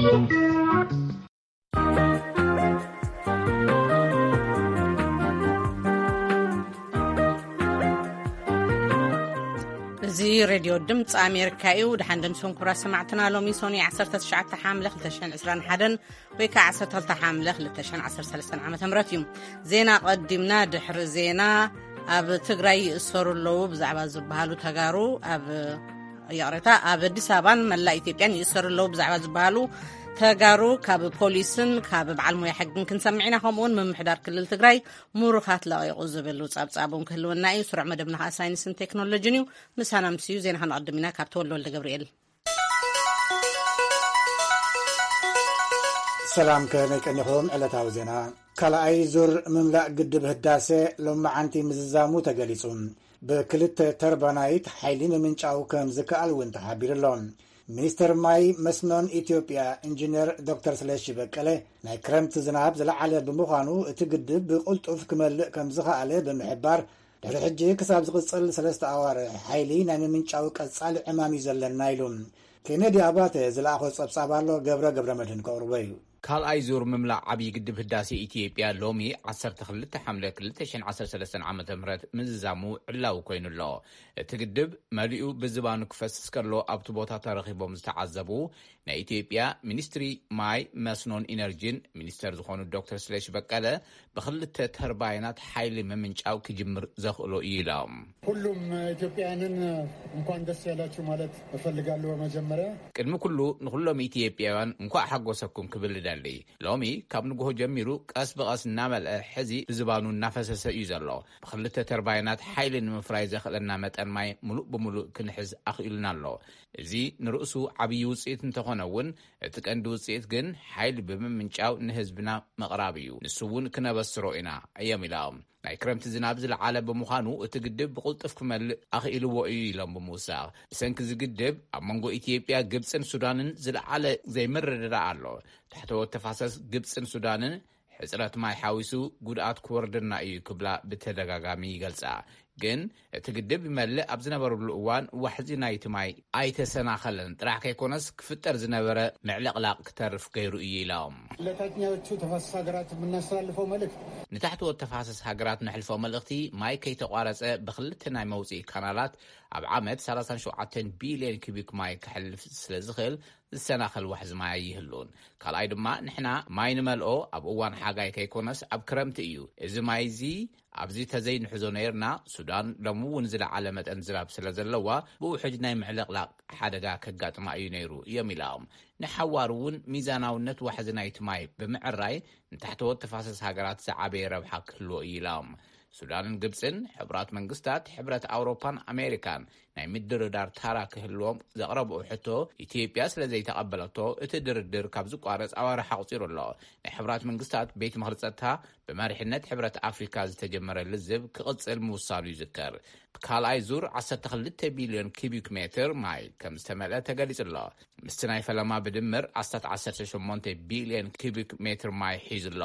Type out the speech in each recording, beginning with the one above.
እዚ ሬድዮ ድምፂ ኣሜሪካ እዩ። ደሓን ደምስኩም ክቡራት ሰማዕትና። ሎሚ ሶኒ ዓሰርተ ትሽዓተ ሓምለ ክልተ ሽሕን ዕስራን ሓደን ወይ ከዓ ዓሰርተ ክልተ ሓምለ ክልተ ሽሕን ዓሰርተ ሰለስተን ዓመተ ምህረት እዩ። ዜና ቀዲምና። ድሕሪ ዜና፣ ኣብ ትግራይ ይእሰሩ ኣለዉ ብዛዕባ ዝበሃሉ ተጋሩ ኣብ፣ ይቕሬታ፣ ኣብ ኣዲስ ኣበባን መላእ ኢትዮጵያን ይእሰሩ ኣለዉ ብዛዕባ ዝበሃሉ ተጋሩ ካብ ፖሊስን ካብ በዓል ሞያ ሕግን ክንሰምዕ ኢና። ከምኡውን ምምሕዳር ክልል ትግራይ ምሩኻት ለቒቑ ዝብል ጸብጻብ እውን ክህልወና እዩ። ስሩዕ መደብና ኸኣ ሳይንስን ቴክኖሎጂን እዩ። ምሳና ምስዩ ዜና ከነቐድም ኢና ካብ ተወልደ ወልደ ገብርኤል። ሰላም፣ ከመይ ቀኒኹም? ዕለታዊ ዜና። ካልኣይ ዙር ምምላእ ግድብ ህዳሴ ሎመዓንቲ ምዝዛሙ ተገሊጹ። ብክልተ ተርባናይት ሓይሊ ምምንጫው ከም ዝከኣል እውን ተሓቢሩ ኣሎ። ሚኒስተር ማይ መስኖን ኢትዮጵያ ኢንጂነር ዶክተር ስለሺ በቀለ፣ ናይ ክረምቲ ዝናብ ዝለዓለ ብምዃኑ እቲ ግድብ ብቕልጡፍ ክመልእ ከም ዝኸኣለ ብምሕባር፣ ድሕሪ ሕጂ ክሳብ ዝቕጽል ሰለስተ ኣዋርሕ ሓይሊ ናይ ምምንጫው ቀጻሊ ዕማም እዩ ዘለና ኢሉ። ኬነዲ ኣባተ ዝለኣኾ ጸብጻብ ኣሎ፣ ገብረ ገብረ መድህን ከቕርቦ እዩ። ካልኣይ ዙር ምምላእ ዓብዪ ግድብ ህዳሴ ኢትዮጵያ ሎሚ ዓሰርተ ክልተ ሓምለ ክልተ ሽሕን ዓሰርተ ሰለስተን ዓመተ ምህረት ምዝዛሙ ዕላዊ ኮይኑ ኣሎ። እቲ ግድብ መሊኡ ብዝባኑ ክፈስስ ከሎ ኣብቲ ቦታ ተረኺቦም ዝተዓዘቡ ናይ ኢትዮጵያ ሚኒስትሪ ማይ መስኖን ኢነርጂን ሚኒስተር ዝኾኑ ዶክተር ስለሺ በቀለ፣ ብክልተ ተርባይናት ሓይሊ ምምንጫው ክጅምር ዘኽእሎ እዩ ኢሎም። ሁሉም ኢትዮጵያውያንን እንኳን ደስ ያላችሁ ማለት እፈልጋለሁ። በመጀመሪያ ቅድሚ ኩሉ ንኹሎም ኢትዮጵያውያን እንኳዕ ሓጎሰኩም ክብል እደሊ። ሎሚ ካብ ንግሆ ጀሚሩ ቀስ ብቐስ እናመልአ ሕዚ ብዝባኑ እናፈሰሰ እዩ ዘሎ። ብክልተ ተርባይናት ሓይሊ ንምፍራይ ዘኽእለና መጠን ማይ ሙሉእ ብሙሉእ ክንሕዝ ኣኽኢሉና ኣሎ። እዚ ንርእሱ ዓብዪ ውፅኢት እንተኾነ እውን፣ እቲ ቀንዲ ውፅኢት ግን ሓይሊ ብምምንጫው ንህዝብና ምቕራብ እዩ። ንሱ እውን ክነበስሮ ኢና እዮም ኢሎም። ናይ ክረምቲ ዝናብ ዝለዓለ ብምዃኑ እቲ ግድብ ብቕልጡፍ ክመልእ ኣኽኢልዎ እዩ ኢሎም ብምውሳኽ፣ ብሰንኪ እዚ ግድብ ኣብ መንጎ ኢትዮጵያ፣ ግብፅን ሱዳንን ዝለዓለ ዘይምርድዳእ ኣሎ። ታሕተዎት ተፋሰስ ግብፅን ሱዳንን ሕፅረት ማይ ሓዊሱ ጉድኣት ክወርደና እዩ ክብላ ብተደጋጋሚ ይገልፃ። ግን እቲ ግድብ ይመልእ ኣብ ዝነበረሉ እዋን ዋሕዚ ናይቲ ማይ ኣይተሰናኸለን ጥራሕ ከይኮነስ ክፍጠር ዝነበረ ምዕልቕላቕ ክተርፍ ገይሩ እዩ ኢሎም። ለታችኛዎቹ ተፋሰስ ሀገራት የምናስተላልፈው መልእክት ንታሕተዎት ተፋሰስ ሃገራት ነሕልፎ መልእኽቲ ማይ ከይተቋረፀ ብክልተ ናይ መውፅኢ ካናላት ኣብ ዓመት ሰላሳን ሸውዓተን ቢልዮን ኪቢክ ማይ ከሕልፍ ስለ ዝኽእል ዝሰናኸል ዋሕዚ ማይ ኣይህሉን። ካልኣይ ድማ ንሕና ማይ ንመልኦ ኣብ እዋን ሓጋይ ከይኮነስ ኣብ ክረምቲ እዩ። እዚ ማይ እዚ ኣብዚ ተዘይንሕዞ ነይርና፣ ሱዳን ሎሚ እውን ዝለዓለ መጠን ዝናብ ስለ ዘለዋ ብውሕጅ ናይ ምዕልቕላቕ ሓደጋ ከጋጥማ እዩ ነይሩ እዮም ኢሎም። ንሓዋሩ እውን ሚዛናውነት ዋሕዚ ናይቲ ማይ ብምዕራይ ንታሕተዎት ተፋሰስ ሃገራት ዝዓበየ ረብሓ ክህልዎ እዩ ኢሎም። ሱዳንን ግብፅን ሕቡራት መንግስታት፣ ሕብረት ኣውሮፓን ኣሜሪካን ናይ ምድርዳር ታራ ክህልዎም ዘቕረብኦ ሕቶ ኢትዮጵያ ስለ ዘይተቐበለቶ እቲ ድርድር ካብ ዝቋረፅ ኣዋርሕ ኣቑፂሩ ኣሎ። ናይ ሕቡራት መንግስታት ቤት ምኽሪ ጸጥታ ብመሪሕነት ሕብረት ኣፍሪካ ዝተጀመረ ልዝብ ክቕጽል ምውሳኑ ይዝከር። ካልኣይ ዙር ዓሰርተ ክልተ ቢልዮን ኪቢክ ሜትር ማይ ከም ዝተመልአ ተገሊጹ ኣሎ። ምስቲ ናይ ፈለማ ብድምር ኣስታት ዓሰርተ ሸሞንተ ቢልዮን ኪቢክ ሜትር ማይ ሒዙ ኣሎ።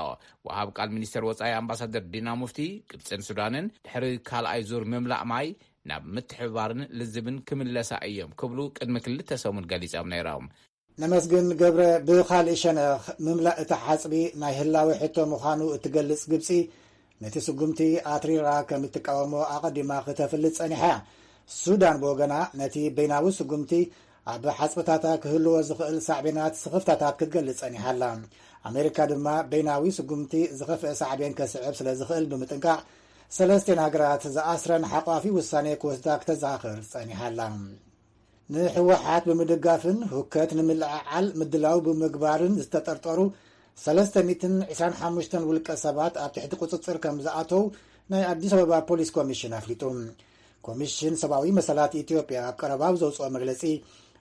ወሃብ ቃል ሚኒስተር ወጻኢ ኣምባሳደር ዲና ሙፍቲ፣ ግብጽን ሱዳንን ድሕሪ ካልኣይ ዙር ምምላእ ማይ ናብ ምትሕብባርን ልዝብን ክምለሳ እዮም ክብሉ ቅድሚ ክልተ ሰሙን ገሊጾም ነይሮም። ነመስግን ገብረ፣ ብኻልእ ሸነኽ ምምላእ እቲ ሓጽቢ ናይ ህላዌ ሕቶ ምዃኑ እትገልጽ ግብጺ፣ ነቲ ስጉምቲ ኣትሪራ ከም እትቃወሞ ኣቐዲማ ክተፍልጥ ጸኒሓ እያ። ሱዳን ብወገና ነቲ በይናዊ ስጉምቲ ኣብ ሓጽብታታ ክህልዎ ዝኽእል ሳዕቤናት ስኽፍታታት ክትገልጽ ጸኒሓ ኣላ። ኣሜሪካ ድማ በይናዊ ስጉምቲ ዝኸፍአ ሳዕቤን ከስዕብ ስለ ዝኽእል ብምጥንቃቕ፣ ሰለስቴን ሃገራት ዝኣስረን ሓቋፊ ውሳኔ ክወስዳ ክተዘኻኽር ጸኒሓ ኣላ። ንህወሓት ብምድጋፍን ሁከት ንምልዕዓል ምድላው ብምግባርን ዝተጠርጠሩ ሰለስተ ሚእትን ዕስራን ሓሙሽተን ውልቀ ሰባት ኣብ ትሕቲ ቁጽጽር ከም ዝኣተው ናይ ኣዲስ ኣበባ ፖሊስ ኮሚሽን ኣፍሊጡ። ኮሚሽን ሰብኣዊ መሰላት ኢትዮጵያ ኣብ ቀረባ ኣብ ዘውፅኦ መግለፂ፣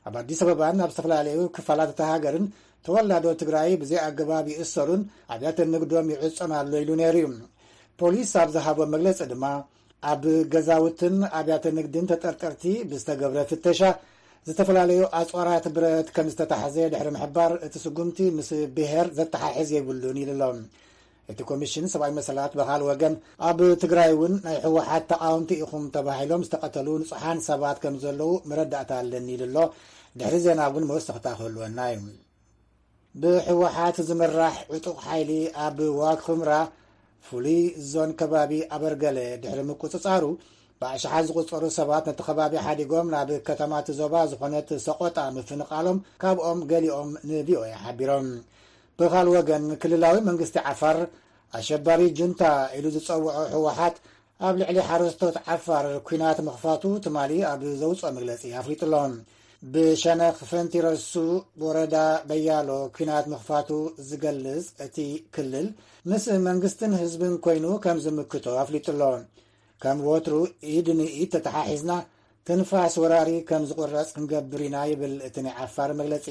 ኣብ ኣዲስ ኣበባን ኣብ ዝተፈላለዩ ክፋላት እታ ሃገርን ተወላዶ ትግራይ ብዘይ ኣገባብ ይእሰሩን ኣብያተ ንግዶም ይዕጾን ኣሎ ኢሉ ነይሩ እዩ። ፖሊስ ኣብ ዝሃቦ መግለፂ ድማ፣ ኣብ ገዛውትን ኣብያተ ንግድን ተጠርጠርቲ ብዝተገብረ ፍተሻ፣ ዝተፈላለዩ ኣፅዋራት ብረት ከም ዝተታሕዘ ድሕሪ ምሕባር፣ እቲ ስጉምቲ ምስ ብሄር ዘተሓሕዝ የብሉን ኢሉ ኣሎ። እቲ ኮሚሽን ሰብኣዊ መሰላት ብኻል ወገን፣ ኣብ ትግራይ እውን ናይ ህወሓት ተቃወምቲ ኢኹም ተባሂሎም ዝተቐተሉ ንጹሓን ሰባት ከም ዘለዉ መረዳእታ ኣለኒ ኢሉ ኣሎ። ድሕሪ ዜና እውን መወሰኽታ ክህልወና እዩ። ብህወሓት ዝምራሕ ዕጡቕ ሓይሊ ኣብ ዋግ ኽምራ ፍሉይ ዞን ከባቢ ኣበርገለ ድሕሪ ምቁጽጻሩ፣ ብኣሽሓት ዝቑጸሩ ሰባት ነቲ ከባቢ ሓዲጎም ናብ ከተማ እቲ ዞባ ዝኾነት ሰቖጣ ምፍንቓሎም ካብኦም ገሊኦም ንቪኦኤ ሓቢሮም። ብኻል ወገን፣ ክልላዊ መንግስቲ ዓፋር ኣሸባሪ ጁንታ ኢሉ ዝጸውዖ ህወሓት ኣብ ልዕሊ ሓረስቶት ዓፋር ኲናት ምኽፋቱ ትማሊ ኣብ ዘውፅኦ መግለፂ ኣፍሊጡ ኣሎ። ብሸነኽ ፈንቲረሱ ወረዳ በያሎ ኲናት ምኽፋቱ ዝገልጽ እቲ ክልል፣ ምስ መንግስትን ህዝብን ኮይኑ ከም ዝምክቶ ኣፍሊጡ ኣሎ። ከም ወትሩ ኢድ ንኢድ ተተሓሒዝና ትንፋስ ወራሪ ከም ዝቑረጽ ክንገብር ኢና ይብል እቲ ናይ ዓፋር መግለጺ።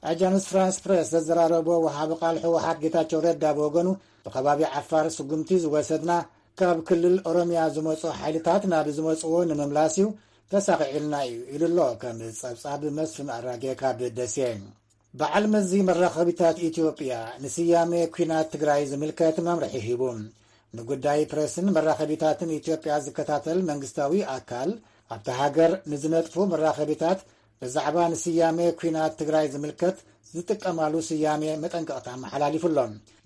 ኣጃንስ ፍራንስ ፕሬስ ዘዘራረቦ ወሃቢ ቃል ህወሓት ጌታቸው ረዳ ብወገኑ፣ ብከባቢ ዓፋር ስጉምቲ ዝወሰድና ካብ ክልል ኦሮሚያ ዝመጹ ሓይልታት ናብ ዝመጽዎ ንምምላስ እዩ፣ ተሳኺዕልና እዩ ኢሉ ኣሎ። ከም ጸብጻብ መስፍን ኣራጌ ካብ ደሴ። በዓል መዚ መራኸቢታት ኢትዮጵያ ንስያሜ ኲናት ትግራይ ዝምልከት መምርሒ ሂቡ። ንጉዳይ ፕሬስን መራኸቢታትን ኢትዮጵያ ዝከታተል መንግስታዊ ኣካል፣ ኣብታ ሃገር ንዝነጥፉ መራኸቢታት ብዛዕባ ንስያሜ ኲናት ትግራይ ዝምልከት ዝጥቀማሉ ስያሜ መጠንቀቕታ ኣመሓላሊፉ ኣሎ።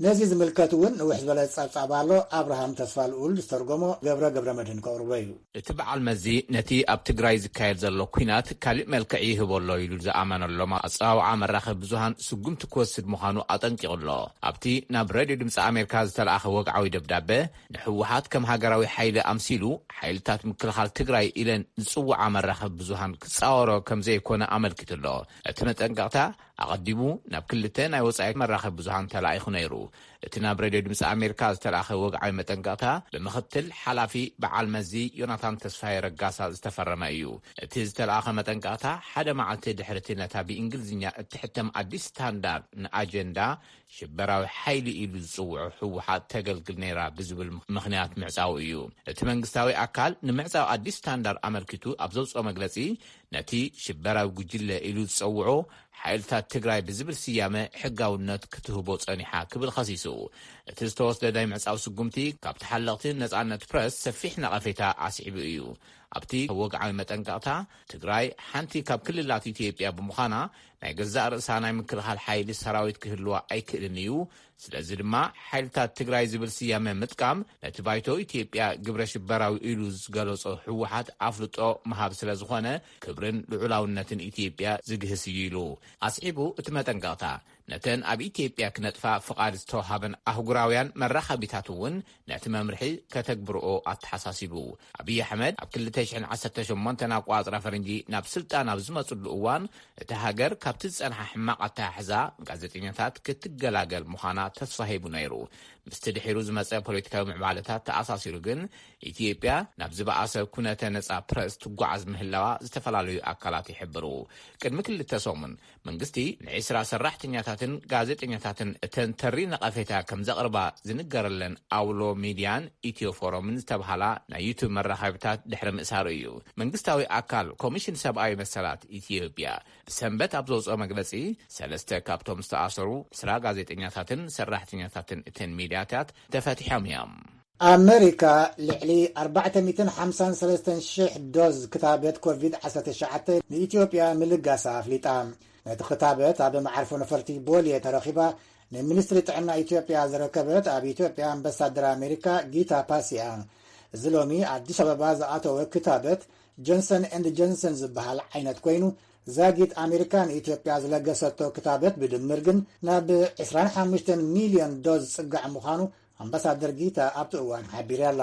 ነዚ ዝምልከት እውን ንውሕ ዝበለ ጸብጻብ ኣሎ። ኣብርሃም ተስፋ ልኡል ዝተርጎሞ ገብረ ገብረ መድህን ከቕርቦ እዩ። እቲ በዓል መዚ ነቲ ኣብ ትግራይ ዝካየድ ዘሎ ኲናት ካልእ መልክዕ ይህቦ ኣሎ ኢሉ ዝኣመነሎም ኣጸዋውዓ መራኸቢ ብዙሃን ስጉምቲ ክወስድ ምዃኑ ኣጠንቂቑ ኣሎ። ኣብቲ ናብ ሬድዮ ድምፂ ኣሜሪካ ዝተለኣኸ ወግዓዊ ደብዳበ፣ ንህወሓት ከም ሃገራዊ ሓይሊ ኣምሲሉ ሓይልታት ምክልኻል ትግራይ ኢለን ዝጽውዓ መራኸቢ ብዙሃን ክጻወሮ ከም ዘይኮነ ኣመልኪቱ ኣሎ። እቲ መጠንቀቕታ ኣቐዲሙ ናብ ክልተ ናይ ወጻኢ መራኸቢ ብዙሃን ተላኢኹ ነይሩ። እቲ ናብ ሬድዮ ድምፂ ኣሜሪካ ዝተላእኸ ወግዓዊ መጠንቀቕታ፣ ብምኽትል ሓላፊ በዓል መዚ ዮናታን ተስፋዬ ረጋሳ ዝተፈረመ እዩ። እቲ ዝተላእኸ መጠንቀቕታ፣ ሓደ መዓልቲ ድሕሪ እቲ ነታ ብእንግሊዝኛ እትሕተም ኣዲስ ስታንዳርድ ንኣጀንዳ ሽበራዊ ሓይሊ ኢሉ ዝጽውዖ ህወሓት ተገልግል ነይራ ብዝብል ምኽንያት ምዕጻው እዩ። እቲ መንግስታዊ ኣካል ንምዕጻው ኣዲስ ስታንዳርድ ኣመልኪቱ ኣብ ዘውጽኦ መግለጺ፣ ነቲ ሽበራዊ ጉጅለ ኢሉ ዝጸውዖ ሓይልታት ትግራይ ብዝብል ስያመ ሕጋውነት ክትህቦ ጸኒሓ ክብል ኸሲሱ። እቲ ዝተወስደ ናይ ምዕጻው ስጉምቲ፣ ካብ ተሓለቕቲ ነጻነት ፕረስ ሰፊሕ ነቐፌታ ኣስዒቡ እዩ። ኣብቲ ወግዓዊ መጠንቀቕታ፣ ትግራይ ሓንቲ ካብ ክልላት ኢትዮጵያ ብምዃና፣ ናይ ገዛእ ርእሳ ናይ ምክልኻል ሓይሊ ሰራዊት ክህልዋ ኣይክእልን እዩ። ስለዚ ድማ፣ ሓይልታት ትግራይ ዝብል ስያመ ምጥቃም፣ ነቲ ባይቶ ኢትዮጵያ ግብረ ሽበራዊ ኢሉ ዝገለጾ ህወሓት ኣፍልጦ ምሃብ ስለ ዝኾነ፣ ክብርን ልዑላውነትን ኢትዮጵያ ዝግህስ እዩ ኢሉ። ኣስዒቡ እቲ መጠንቀቕታ፣ ነተን ኣብ ኢትዮጵያ ክነጥፋ ፍቓድ ዝተወሃበን ኣህጉራውያን መራኸቢታት እውን ነቲ መምርሒ ከተግብርኦ ኣተሓሳሲቡ። ኣብይ ኣሕመድ ኣብ ክልተ ሽሕን ዓሰርተ ሸሞንተን ኣቋጽራ ፈረንጂ ናብ ስልጣን ኣብ ዝመጽሉ እዋን፣ እቲ ሃገር ካብቲ ዝጸንሓ ሕማቕ ኣተሓሕዛ፣ ጋዜጠኛታት ክትገላገል ምዃና ተስፋ ሂቡ ነይሩ። ምስቲ ድሒሩ ዝመጸ ፖለቲካዊ ምዕባለታት ተኣሳሲሩ ግን፣ ኢትዮጵያ ናብ ዝበኣሰ ኩነተ ነጻ ፕረስ ትጓዓዝ ምህላዋ ዝተፈላለዩ ኣካላት ይሕብሩ። ቅድሚ ክልተ ሰሙን፣ መንግስቲ ንዒስራ ሰራሕተኛታትን ጋዜጠኛታትን እተን ተሪ ነቐፌታ ከም ዘቕርባ ዝንገረለን ኣውሎ ሚድያን ኢትዮ ፎረምን ዝተብሃላ ናይ ዩቱብ መራኸቢታት ድሕሪ ምእሳሩ እዩ። መንግስታዊ ኣካል ኮሚሽን ሰብኣዊ መሰላት ኢትዮጵያ ብሰንበት ኣብ ዘውፅኦ መግለፂ፣ ሰለስተ ካብቶም ዝተኣሰሩ ዕስራ ጋዜጠኛታትን ሰራሕተኛታትን እተን ሚድያታት ተፈቲሖም እዮም። ኣመሪካ ልዕሊ ኣርባዕተ ሚእትን ሓምሳን ሰለስተን ሽሕ ዶዝ ክታበት ኮቪድ ዓሰርተ ትሽዓተ ንኢትዮጵያ ምልጋሳ ኣፍሊጣ። ነቲ ክታበት ኣብ መዓርፎ ነፈርቲ ቦሌ ተረኺባ ንሚኒስትሪ ጥዕና ኢትዮጵያ ዝረከበት ኣብ ኢትዮጵያ ኣምባሳደር ኣሜሪካ ጊታ ፓሲያ። እዚ ሎሚ ኣዲስ ኣበባ ዝኣተወ ክታበት ጆንሰን ኤንድ ጆንሰን ዝበሃል ዓይነት ኮይኑ፣ ዛጊት ኣሜሪካ ንኢትዮጵያ ዝለገሰቶ ክታበት ብድምር ግን ናብ ዕስራን ሓሙሽተን ሚልዮን ዶዝ ዝጽጋዕ ምዃኑ ኣምባሳደር ጊታ ኣብቲ እዋን ሓቢራ ኣላ።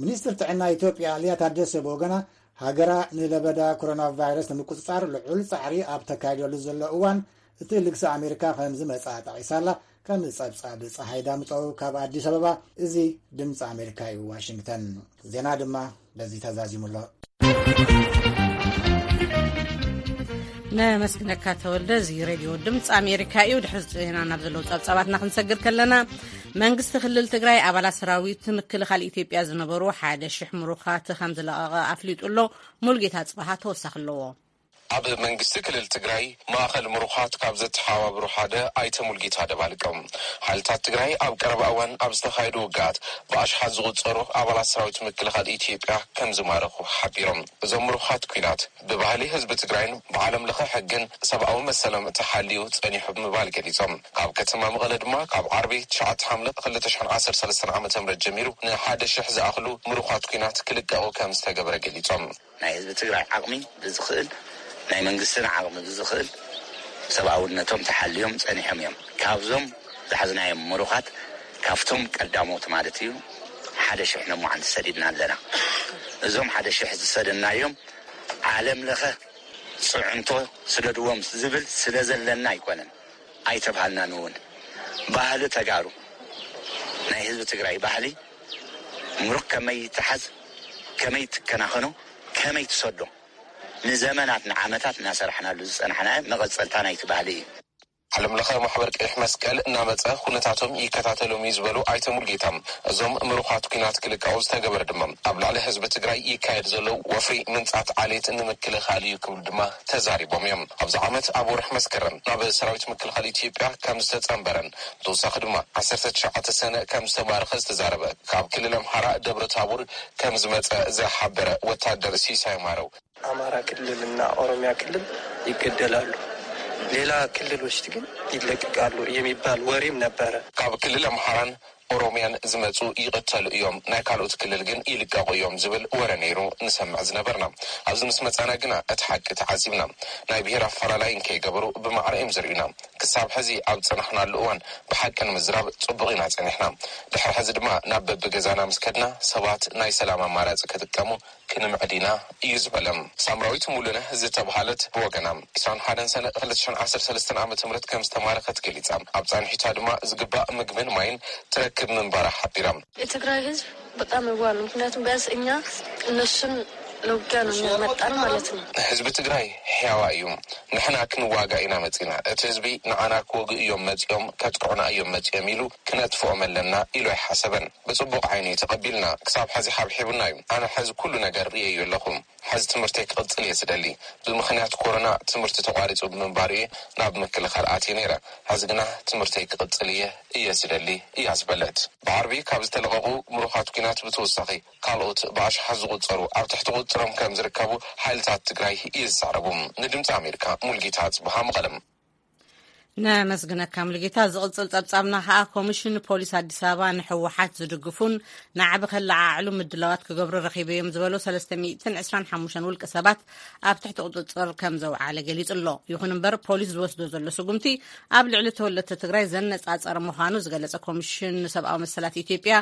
ሚኒስትር ጥዕና ኢትዮጵያ ሊያ ታደሰ ብወገና፣ ሃገራ ንለበዳ ኮሮና ቫይረስ ንምቁጽጻር ልዑል ጻዕሪ ኣብ ተካይደሉ ዘሎ እዋን፣ እቲ ልግሲ ኣሜሪካ ከም ዝመጽኣ ጠቒሳ ኣላ። ከም ጸብጻብ ጸሃይ ዳምጠው ካብ ኣዲስ ኣበባ። እዚ ድምፂ ኣሜሪካ እዩ፣ ዋሽንግተን። ዜና ድማ በዚ ተዛዚሙ ኣሎ። ነመስግነካ ተወልደ። እዚ ሬድዮ ድምፂ ኣሜሪካ እዩ። ድሕሪ ዜና ናብ ዘለዉ ጸብጻባትና ክንሰግር ከለና፣ መንግስቲ ክልል ትግራይ ኣባላት ሰራዊት ምክልኻል ኢትዮጵያ ዝነበሩ ሓደ ሽሕ ምሩኻት ከም ዝለቐቐ ኣፍሊጡ ኣሎ። ሙልጌታ ጽባሃ ተወሳኺ ኣለዎ። ኣብ መንግስቲ ክልል ትግራይ ማእኸል ምሩኻት ካብ ዘተሓባብሩ ሓደ ኣይተ ሙልጌታ ደባልቀም፣ ሓይልታት ትግራይ ኣብ ቀረባ እዋን ኣብ ዝተኻየዱ ውግኣት ብኣሽሓት ዝቑጸሩ ኣባላት ሰራዊት ምክልኻል ኢትዮጵያ ከም ዝማረኹ ሓቢሮም። እዞም ምሩኻት ኲናት ብባህሊ ህዝቢ ትግራይን ብዓለም ለኸ ሕግን ሰብኣዊ መሰሎም ተሓልዩ ጸኒሑ ብምባል ገሊጾም። ካብ ከተማ መቐለ ድማ ካብ ዓርቢ ትሽዓተ ሓምለ ክልተ ሽሕን ዓሰርተ ሰለስተን ዓመተ ምህረት ጀሚሩ ንሓደ ሽሕ ዝኣኽሉ ምሩኻት ኲናት ክልቀቑ ከም ዝተገበረ ገሊጾም። ናይ ህዝቢ ትግራይ ዓቕሚ ብዝኽእል፣ ናይ መንግስትና ዓቕሚ ብዝኽእል ሰብኣውነቶም ተሓልዮም ጸኒሖም እዮም። ካብዞም ዝሓዝናዮም ምሩኻት፣ ካብቶም ቀዳሞት ማለት እዩ፣ ሓደ ሽሕ ነሞዓንቲ ሰዲድና ኣለና። እዞም ሓደ ሽሕ ዝሰደናዮም ዓለም ለኸ ጽዕንቶ ስደድዎም ዝብል ስለ ዘለና ኣይኮነን። ኣይተባሃልናን እውን። ባህሊ ተጋሩ፣ ናይ ህዝቢ ትግራይ ባህሊ፣ ምሩኽ ከመይ ይተሓዝ፣ ከመይ ትከናኸኖ፣ ከመይ ትሰዶ፣ ንዘመናት ንዓመታት እናሰራሕናሉ ዝጸናሕና መቐጸልታ ናይቲ ባህሊ እዩ። ዓለም ለኸ ማሕበር ቀይሕ መስቀል እናመጸ ኩነታቶም ይከታተሎም እዩ ዝበሉ ኣይተ ሙልጌታ፣ እዞም ምሩኻት ኲናት ክልቀቑ ዝተገበረ ድማ ኣብ ልዕሊ ህዝቢ ትግራይ ይካየድ ዘሎ ወፍሪ ምንጻት ዓሌት ንምክልኻል እዩ ክብሉ ድማ ተዛሪቦም እዮም። ኣብዚ ዓመት ኣብ ወርሒ መስከረም ናብ ሰራዊት ምክልኻል ኢትዮጵያ ከም ዝተጸንበረን ብተወሳኺ ድማ ዓሰርተ ትሽዓተ ሰነ ከም ዝተማረኸ ዝተዛረበ ካብ ክልል ኣምሓራ ደብረ ታቦር ከም ዝመጸ ዝሓበረ ወታደር ሲሳይ ማረው፣ ኣማራ ክልልና ኦሮሚያ ክልል ይገደላሉ፣ ሌላ ክልሎች ግን ይለቀቃሉ የሚባል ወሬም ነበረ። ካብ ክልል ኣምሓራን ኦሮሚያን ዝመጹ ይቕተሉ እዮም፣ ናይ ካልኦት ክልል ግን ይልቀቑ እዮም ዝብል ወረ ነይሩ ንሰምዕ ዝነበርና። ኣብዚ ምስ መጻና ግና እቲ ሓቂ ተዓዚብና። ናይ ብሄር ኣፈላላይ እንከይገበሩ ብማዕረ እዮም ዝርእዩና። ክሳብ ሕዚ ኣብ ዝጸናሕናሉ እዋን ብሓቂ ንምዝራብ ጽቡቕ ኢና ጸኒሕና። ድሕሪ ሕዚ ድማ ናብ በብገዛና ምስ ከድና ሰባት ናይ ሰላም ኣማራጺ ክጥቀሙ ክንምዕድ ኢና እዩ ዝበለ። ሳምራዊት ሙሉነህ ዝተብሃለት ብወገና፣ ዕስራን ሓደን ሰነ ክልተ ሽሕን ዓሰርተ ሰለስተን ዓመተ ምህረት ከም ዝተማረኸት ገሊጻ። ኣብ ጻንሒታ ድማ ዝግባእ ምግብን ማይን ትረክብ ምንባራ ሓቢራ። የትግራይ ህዝብ በጣም የዋህ ነው። ምክንያቱም ቢያንስ እኛ እነሱን ለውጊያ ነው የሚያመጣን ማለት ነው። ህዝቢ ትግራይ ሕያዋ እዩ። ንሕና ክንዋጋ ኢና መጺና። እቲ ህዝቢ ንዓና ክወግኡ እዮም መጺኦም፣ ከጥቅዑና እዮም መጺኦም ኢሉ ክነጥፍኦም ኣለና ኢሉ ኣይሓሰበን። ብጽቡቕ ዓይኒ ተቐቢልና፣ ክሳብ ሕዚ ሓብሒቡና እዩ። ኣነ ሕዚ ኩሉ ነገር ርእየዮ ኣለኹ። ሕዚ ትምህርተይ ክቕጽል እየ ዝደሊ። ብምኽንያት ኮሮና ትምህርቲ ተቋሪጹ ብምንባሩ እየ ናብ ምክልኻል ኣትየ ነይረ። ሕዚ ግና ትምህርተይ ክቕጽል እየ፣ እየ ዝደሊ እያ ዝበለት። ብዓርቢ ካብ ዝተለቐቑ ምሩኻት ኲናት ብተወሳኺ ካልኦት ብኣሽሓት ዝቑጸሩ ኣብ ትሕቲ ቁጽሮም ከም ዝርከቡ ሓይልታት ትግራይ ይዛረቡ። ንድምፂ ኣሜሪካ ሙልጌታ ጽብሃ መቐለም። ነመስግነካ ሙልጌታ። ዝቕጽል ጸብጻብና ከኣ ኮሚሽን ፖሊስ ኣዲስ ኣበባ ንህወሓት ዝድግፉን ናዕቢ ከለዓዕሉ ምድላዋት ክገብሩ ረኺበዮም ዝበሎ ሰለስተ ሚእትን ዕስራን ሓሙሽተን ውልቀ ሰባት ኣብ ትሕቲ ቁጽጽር ከም ዘውዓለ ገሊጹ ኣሎ። ይኹን እምበር ፖሊስ ዝወስዶ ዘሎ ስጉምቲ ኣብ ልዕሊ ተወለድቲ ትግራይ ዘነጻጸረ ምዃኑ ዝገለጸ ኮሚሽን ንሰብኣዊ መሰላት ኢትዮጵያ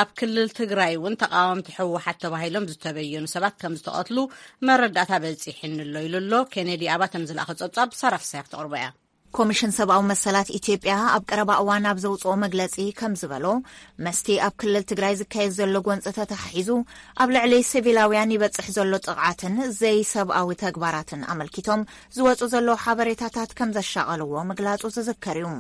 ኣብ ክልል ትግራይ እውን ተቃወምቲ ህወሓት ተባሂሎም ዝተበየኑ ሰባት ከም ዝተቐትሉ መረዳእታ በጺሕኒ ኣሎ ኢሉ ኣሎ። ኬኔዲ ኣባተ ንዝለኣኸ ጸብጻብ ሳራ ፍስሃ ክትቕርቦ እያ። ኮሚሽን ሰብኣዊ መሰላት ኢትዮጵያ ኣብ ቀረባ እዋን ኣብ ዘውፅኦ መግለፂ ከም ዝበሎ፣ መስቲ ኣብ ክልል ትግራይ ዝካየድ ዘሎ ጎንፂ ተተሓሒዙ ኣብ ልዕሊ ሲቪላውያን ይበፅሕ ዘሎ ጥቕዓትን ዘይሰብኣዊ ተግባራትን ኣመልኪቶም ዝወፁ ዘለዉ ሓበሬታታት ከም ዘሻቐልዎ ምግላፁ ዝዝከር እዩ።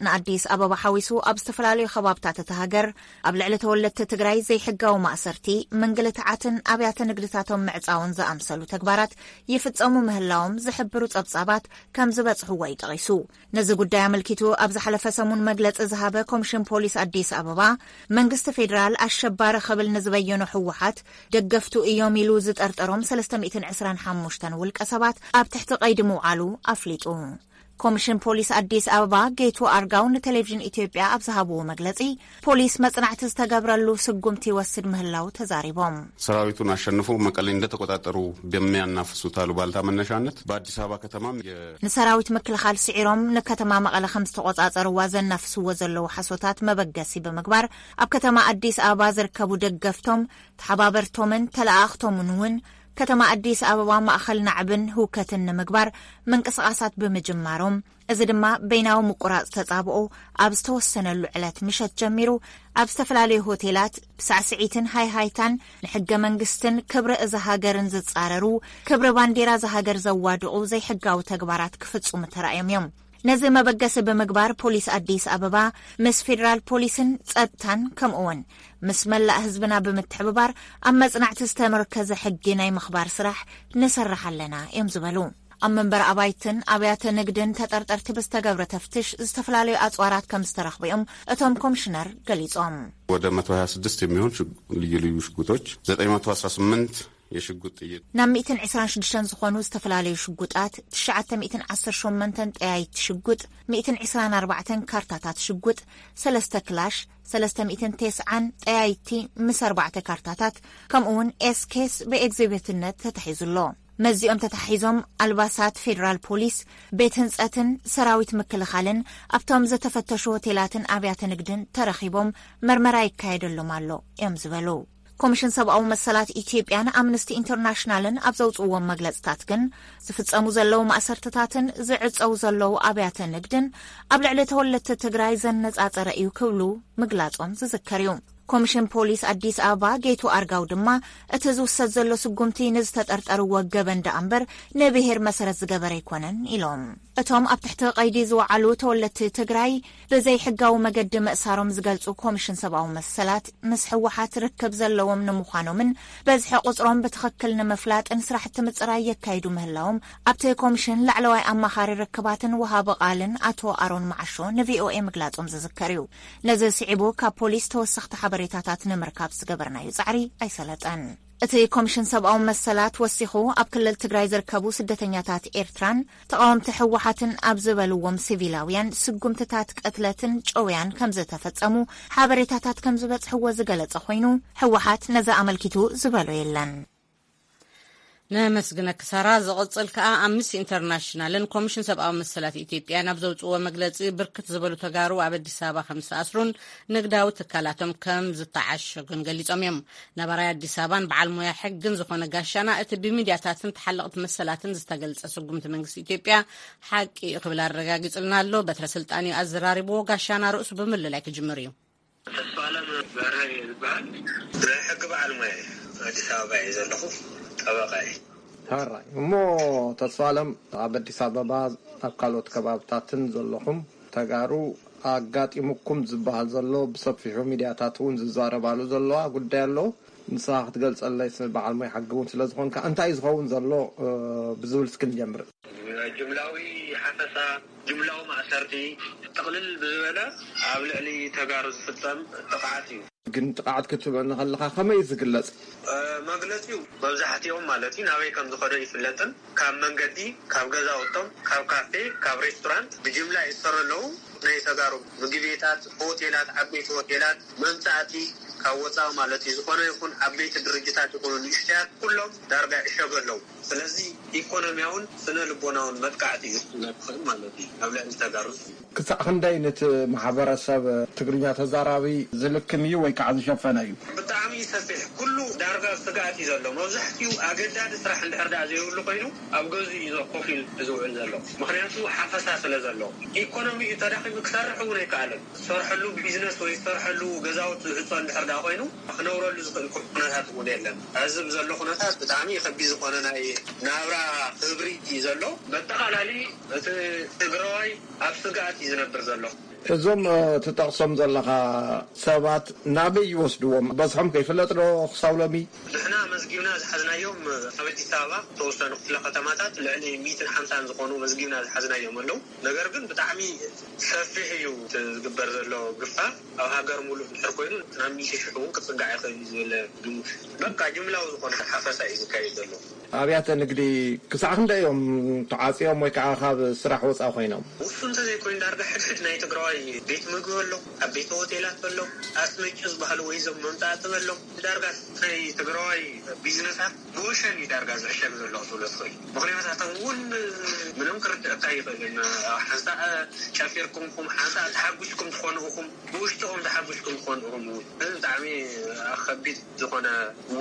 ንኣዲስ ኣበባ ሓዊሱ ኣብ ዝተፈላለዩ ከባብታት እታ ሃገር ኣብ ልዕሊ ተወለድቲ ትግራይ ዘይሕጋዊ ማእሰርቲ፣ ምንግልትዓትን ኣብያተ ንግድታቶም ምዕፃውን ዝኣምሰሉ ተግባራት ይፍፀሙ ምህላዎም ዝሕብሩ ፀብፃባት ከም ዝበፅሕዎ እዩ ጠቒሱ። ነዚ ጉዳይ ኣመልኪቱ ኣብ ዝሓለፈ ሰሙን መግለፂ ዝሃበ ኮሚሽን ፖሊስ ኣዲስ ኣበባ፣ መንግስቲ ፌዴራል ኣሸባሪ ክብል ንዝበየኖ ህወሓት ደገፍቱ እዮም ኢሉ ዝጠርጠሮም ሰለስተ ሚእትን ዕስራን ሓሙሽተን ውልቀ ሰባት ኣብ ትሕቲ ቀይዲ ምውዓሉ ኣፍሊጡ። ኮሚሽን ፖሊስ ኣዲስ ኣበባ ጌቱ ኣርጋው ንቴሌቪዥን ኢትዮጵያ ኣብ ዝሃብዎ መግለፂ፣ ፖሊስ መጽናዕቲ ዝተገብረሉ ስጉምቲ ይወስድ ምህላው ተዛሪቦም። ሰራዊቱን አሸንፎ መቀሌ እንደተቆጣጠሩ በሚያናፍሱት አሉባልታ መነሻነት በአዲስ አበባ ከተማም የ- ንሰራዊት ምክልኻል ስዒሮም ንከተማ መቐለ ከም ዝተቆጻጸርዋ ዘናፍስዎ ዘለዉ ሓሶታት መበገሲ ብምግባር፣ ኣብ ከተማ ኣዲስ ኣበባ ዝርከቡ ደገፍቶም፣ ተሓባበርቶምን ተለኣኣኽቶምን እውን ከተማ ኣዲስ ኣበባ ማእኸል ናዕብን ህውከትን ንምግባር ምንቅስቓሳት ብምጅማሮም፣ እዚ ድማ በይናዊ ምቁራጽ ተጻብኦ ኣብ ዝተወሰነሉ ዕለት ምሸት ጀሚሩ ኣብ ዝተፈላለዩ ሆቴላት ብሳዕስዒትን ሃይሃይታን ንሕገ መንግስትን ክብሪ እዛ ሃገርን ዝጻረሩ፣ ክብሪ ባንዴራ እዛ ሃገር ዘዋድቑ ዘይሕጋዊ ተግባራት ክፍጽሙ ተራእዮም እዮም። ነዚ መበገሲ ብምግባር ፖሊስ ኣዲስ ኣበባ ምስ ፌደራል ፖሊስን ጸጥታን ከምኡውን ምስ መላእ ህዝብና ብምትሕብባር ኣብ መጽናዕቲ ዝተመርከዘ ሕጊ ናይ ምኽባር ስራሕ ንሰርሕ ኣለና እዮም ዝበሉ። ኣብ መንበሪ ኣባይትን ኣብያተ ንግድን ተጠርጠርቲ ብዝተገብረ ተፍትሽ ዝተፈላለዩ ኣፅዋራት ከም ዝተረኽቡ እዮም እቶም ኮሚሽነር ገሊጾም። ወደ መቶ ሃያ ስድስት የሚሆን ሽጉ- ልዩ ልዩ ሽጉጦች፣ ዘጠኝ መቶ አስራ ስምንት የሽጉጥ ጥይት። ናብ ሚእትን ዕስራን ሽዱሽተን ዝኾኑ ዝተፈላለዩ ሽጉጣት፣ ትሽዓተ ሚእትን ዓሰርተ ሸሞንተን ጠያይቲ ሽጉጥ፣ ሚእትን ዕስራን ኣርባዕተን ካርታታት ሽጉጥ፣ ሰለስተ ክላሽ፣ ሰለስተ ሚእትን ተስዓን ጠያይቲ ምስ ኣርባዕተ ካርታታት፣ ከምኡ እውን ኤስኬስ ብኤግዚቢትነት ተታሒዙ ኣሎ። መዚኦም ተታሒዞም ኣልባሳት ፌዴራል ፖሊስ፣ ቤት ህንፀትን ሰራዊት ምክልኻልን ኣብቶም ዝተፈተሹ ሆቴላትን ኣብያተ ንግድን ተረኺቦም መርመራ ይካየደሎም ኣሎ እዮም ዝበሉ። ኮሚሽን ሰብኣዊ መሰላት ኢትዮጵያን ኣምነስቲ ኢንተርናሽናልን ኣብ ዘውፅእዎም መግለፅታት ግን ዝፍፀሙ ዘለዉ ማእሰርትታትን ዝዕፀው ዘለዉ ኣብያተ ንግድን ኣብ ልዕሊ ተወለድቲ ትግራይ ዘነፃፀረ እዩ ክብሉ ምግላፆም ዝዝከር እዩ። ኮሚሽን ፖሊስ ኣዲስ ኣበባ ጌቱ ኣርጋው ድማ እቲ ዝውሰድ ዘሎ ስጉምቲ ንዝተጠርጠርዎ ገበን ደኣ እምበር ንብሄር መሰረት ዝገበረ ኣይኮነን ኢሎም። እቶም ኣብ ትሕቲ ቀይዲ ዝወዓሉ ተወለድቲ ትግራይ ብዘይሕጋዊ መገዲ ምእሳሮም ዝገልጹ ኮሚሽን ሰብኣዊ መሰላት ምስ ህወሓት ርክብ ዘለዎም ንምዃኖምን በዝሒ ቁጽሮም ብትኽክል ንምፍላጥን ስራሕቲ ምጽራይ የካይዱ ምህላዎም ኣብቲ ኮሚሽን ላዕለዋይ ኣማኻሪ ርክባትን ወሃቢ ቃልን ኣቶ ኣሮን መዓሾ ንቪኦኤ ምግላጾም ዝዝከር እዩ። ነዚ ስዒቡ ካብ ፖሊስ ተወሰኽቲ ሓበሬታታት ንምርካብ ዝገበርናዮ ጻዕሪ ኣይሰለጠን። እቲ ኮሚሽን ሰብኣዊ መሰላት ወሲኹ ኣብ ክልል ትግራይ ዝርከቡ ስደተኛታት ኤርትራን ተቓወምቲ ህወሓትን ኣብ ዝበልዎም ሲቪላውያን ስጉምትታት ቅትለትን ጨውያን ከም ዝተፈጸሙ ሓበሬታታት ከም ዝበጽሕዎ ዝገለጸ ኮይኑ፣ ህወሓት ነዚ ኣመልኪቱ ዝበሎ የለን። ነመስግነኪ ሳራ። ዝቕጽል ከኣ ኣምነስቲ ኢንተርናሽናልን ኮሚሽን ሰብኣዊ መሰላት ኢትዮጵያን ኣብ ዘውጽእዎ መግለጺ ብርክት ዝበሉ ተጋሩ ኣብ ኣዲስ ኣበባ ከም ዝተኣስሩን ንግዳዊ ትካላቶም ከም ዝተዓሸጉን ገሊጾም እዮም። ነባራይ ኣዲስ ኣበባን በዓል ሞያ ሕግን ዝኾነ ጋሻና እቲ ብሚድያታትን ተሓለቕቲ መሰላትን ዝተገልጸ ስጉምቲ መንግስቲ ኢትዮጵያ ሓቂ እዩ ክብል ኣረጋጊጹልና ኣሎ። በትረ ስልጣን እዩ ኣዘራሪብዎ። ጋሻና ርእሱ ብምልላይ ክጅምር እዩ። ተስፋለም በርሀ ይበሃል። ናይ ሕጊ በዓል ሞያ እየ። ኣዲስ ኣበባ እየ ዘለኹ። ጠበቃ እየ። ሕራይ እሞ ተስፋለም ኣብ ኣዲስ ኣበባ ኣብ ካልኦት ከባብታትን ዘለኹም ተጋሩ ኣጋጢሙኩም ዝበሃል ዘሎ ብሰፊሑ ሚድያታት እውን ዝዛረባሉ ዘለዋ ጉዳይ ኣሎ። ንስኻ ክትገልጸለይ ስ- በዓል ሞያ ሕጊ እውን ስለ ዝኾንካ እንታይ እዩ ዝኸውን ዘሎ እ፣ ብዝብል እስኪ ንጀምር። ጅምላዊ ሓፈሳ፣ ጅምላዊ ማእሰርቲ፣ ጥቕልል ብዝበለ ኣብ ልዕሊ ተጋሩ ዝፍጸም ጥቕዓት እዩ። ግን ጥቕዓት ክትብለኒ ከለኻ ከመይ እዩ ዝግለጽ? መግለፂኡ መብዛሕትኦም ማለት እዩ ናበይ ከም ዝኸዶ ይፍለጥን ካብ መንገዲ ካብ ገዛውቶም ካብ ካፌ ካብ ሬስቶራንት ብጅምላ ይሰሩ ኣለዉ። ናይ ተጋሩ ምግቤታት ሆቴላት ዓበይቲ ሆቴላት መምፃእቲ ካብ ወፃኢ ማለት እዩ ዝኾነ ይኹን ዓበይቲ ድርጅታት ይኹኑ ንእሽተያት ኩሎም ዳርጋ ይሸጉ ኣለዉ። ስለዚ ኢኮኖሚያውን ስነ ልቦናውን መጥቃዕቲ እዩ ክፍለጥ ይኽእል ማለት እዩ ኣብ ልዕሊ ተጋሩ። ክሳዕ ክንደይ ነቲ ማሕበረሰብ ትግርኛ ተዛራቢ ዝልክም እዩ ወይ ከዓ ዝሸፈነ እዩ? ብጣዕሚ ሰፊሕ ኩሉ ዳርጋ ስግኣት እዩ ዘሎ። መብዛሕትኡ ኣገዳዲ ስራሕ እንድሕር ደኣ ዘይብሉ ኮይኑ ኣብ ገዝኡ እዩ ኮፍ ኢሉ ዝውዕል ዘሎ። ምክንያቱ ሓፈሳ ስለ ዘሎ ኢኮኖሚኡ ተዳኺሙ ክሰርሕ እውን ኣይከኣለን። ዝሰርሐሉ ቢዝነስ ወይ ዝሰርሐሉ ገዛውቲ ዝህፀ እንድሕር ደኣ ኮይኑ ክነብረሉ ዝኽእል ኩነታት እውን የለን። ሕዚ ብዘሎ ኩነታት ብጣዕሚ ከቢድ ዝኾነ ናይ ናብራ ክብሪ እዩ ዘሎ። በጠቓላሊ እቲ ትግራዋይ ኣብ ስግኣት እዩ ዝነብር ዘሎ። እዞም ትጠቕሶም ዘለኻ ሰባት ናበይ ይወስድዎም? በዝሖም ከይፍለጥ ዶ ክሳብ ሎሚ? ንሕና መዝጊብና ዝሓዝናዮም ኣብ ኣዲስ ኣበባ ተወሰኑ ክፍለ ከተማታት ልዕሊ ሚእትን ሓምሳን ዝኾኑ መዝጊብና ዝሓዝናዮም ኣለዉ። ነገር ግን ብጣዕሚ ሰፊሕ እዩ እቲ ዝግበር ዘሎ ግፋ። ኣብ ሃገር ሙሉእ ድሕር ኮይኑ ናብ ሚእቲ ሽሕ እውን ክፅጋዕ ይኽእል እዩ ዝብል ግምት። በቃ ጅምላዊ ዝኾነ ሓፈሳ እዩ ዝካየድ ዘሎ። ኣብያተ ንግዲ ክሳዕ ክንደይ እዮም ተዓፅዮም ወይ ከዓ ካብ ስራሕ ወፃኢ ኮይኖም? ውሱን እንተዘይኮይኑ ዳርጋ ሕድሕድ ናይ ትግራዋይ ቤት ምግቢ ኣሎ፣ ዓበይቲ ሆቴላት ኣሎ፣ ኣስመጭ ዝበሃሉ ወይ እዞም መምፃእቲ ኣሎ። ዳርጋ ናይ ትግራዋይ ቢዝነሳት ብወሸን እዩ ዳርጋ ዝዕሸግ ዘሎ ክትብሎ ትኽእል። ምኽንያታቶም እውን ምንም ክርድአካ ይኽእልን። ሓንሳእ ጨፊርኩም ኢኹም፣ ሓንሳእ ተሓጒስኩም ትኾኑ ኢኹም፣ ብውሽጥኹም ተሓጒስኩም ትኾኑ ኢኹም። እውን እዚ ብጣዕሚ ከቢድ ዝኾነ